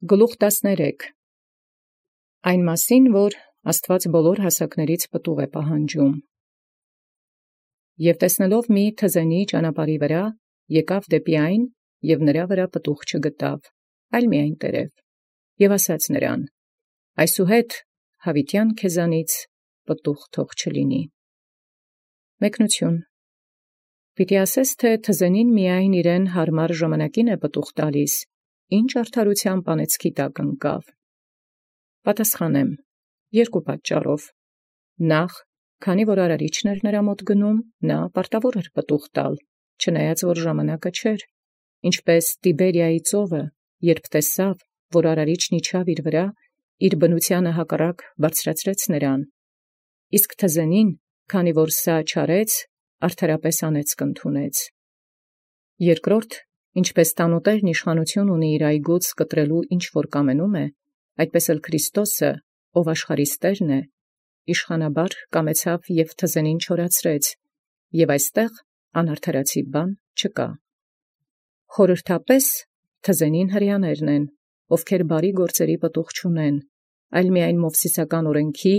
Գլուխ 13 Այն մասին, որ Աստուած բոլոր հասակաց պտուղ է պահանջում։ Եւ տեսնելով մի թզենի ճանապարհի վրա, եկեալ դեպի այն, և նրա վրա պտուղ չգտավ, այլ միայն տերև, և ասաց նրան. այսուհետ յաւիտեան քեզանից պտուղ թող չլինի։ Մեկնություն. Պիտի ասես, թէ թզենին միայն իրեն հարմար ժամանակին է պտուղ տալիս, ինչ արդարութեամբ անեծքի տակ ընկավ։ Պատասխանեմ. երկու պատճառով. Նախ, քանի որ արարիչն էր նրա մոտ գնում, նա պարտավոր էր պտուղ տալ, չնայած որ ժամանակը չէր, ինչպէս Տիբերիայի ծովը, երբ տեսաւ, որ արարիչն իջավ իր վրա, իր բնութեանը հակառակ բարձրացրեց նրան, իսկ թզենին, քանի որ սա չարեց, արդարապես անեծք ընդունեց։ Երկրորդ, ինչպէս տանուտերն իշխանութիւն ունի իր այգուց կտրելոյ ինչ որ կամենում է, այդպէս էլ Քրիստոս, ով աշխարհիս Տէրն է, իշխանաբար կամեցաւ և թզենին չորացրեց, և այստեղ անարդարացի բան չկա։ Խորհրդապէս թզենին հրեաներն են, ովքեր բարի գործերի պտուղ չունեն, այլ միայն Մովսիսական օրենքի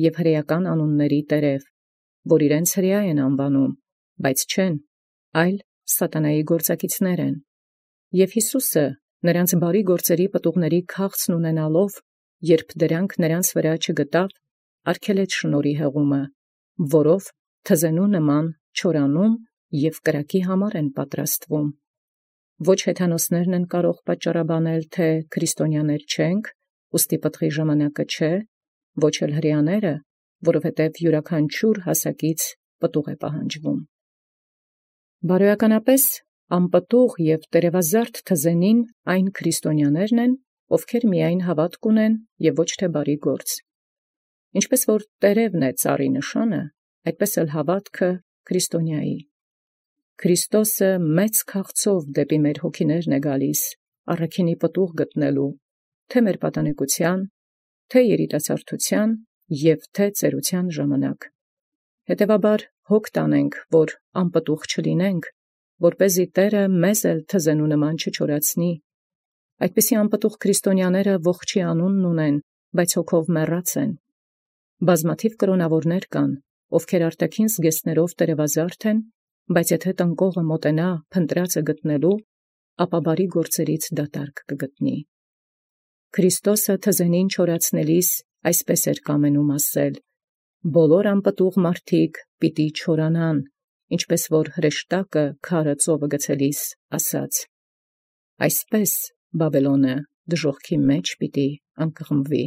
և հրեական անունների տերև, որ իրենց հրեա են անվանում, բայց չեն, այլ սատանայի գործակիցներ են։ Եւ Յիսուսը նրանց բարի գործերի պտուղների քաղցն ունենալով, երբ դրանք նրանց վրա չգտավ, արգելեց շնորհի հեղումը, որով թզենու նման չորանում և կրակի համար են պատրաստվում։ Ոչ հեթանոսներն են կարող պատճառաբանել, թէ քրիստոնյաներ չենք, ուստի պտղի ժամանակը չէ, ոչ էլ հրեաները, որովհետև յուրաքանչյուր հասակից պտուղ է պահանջվում։ Բարոյականապես անպտուղ և տերևազարդ թզենին այն քրիստոնյաներն են, ովքեր միայն հաւատք ունեն և ոչ թե բարի գործ։ Ինչպես որ տերևն է ծառի նշանը, այդպես էլ հաւատքը քրիստոնյայի։ Քրիստոսը մեծ քաղցով դեպի մեր հոգիներն է գալիս, առաքինի պտուղ գտնելու, թե մեր պատանեկության, թե երիտասարդութեան և թե ծերության ժամանակ։ Հետևաբար հոգ տանենք, որ անպտուղ չլինենք, որպեսզի Տէրը մեզ էլ թզենու նման չչորացնի։ Այդպիսի անպտուղ քրիստոնյաները ողջի անունն ունեն, բայց հոգով մեռած են։ Բազմաթիվ կրոնաւորներ կան, ովքեր արտաքին զգեստներով տերևազարդ են, բայց եթե տնկողը մոտենա փնտրածը գտնելու, ապա բարի գործերից դատարկ կգտնի։ Քրիստոսը թզենին չորացնելիս այսպես էր կամենում ասել. բոլոր անպտուղ մարդիկ պիտի չորանան, ինչպես որ հրեշտակը քարը ծովը գցելիս ասաց. այսպես Բաբելոնը դժոխքի մեջ պիտի անկղմվի։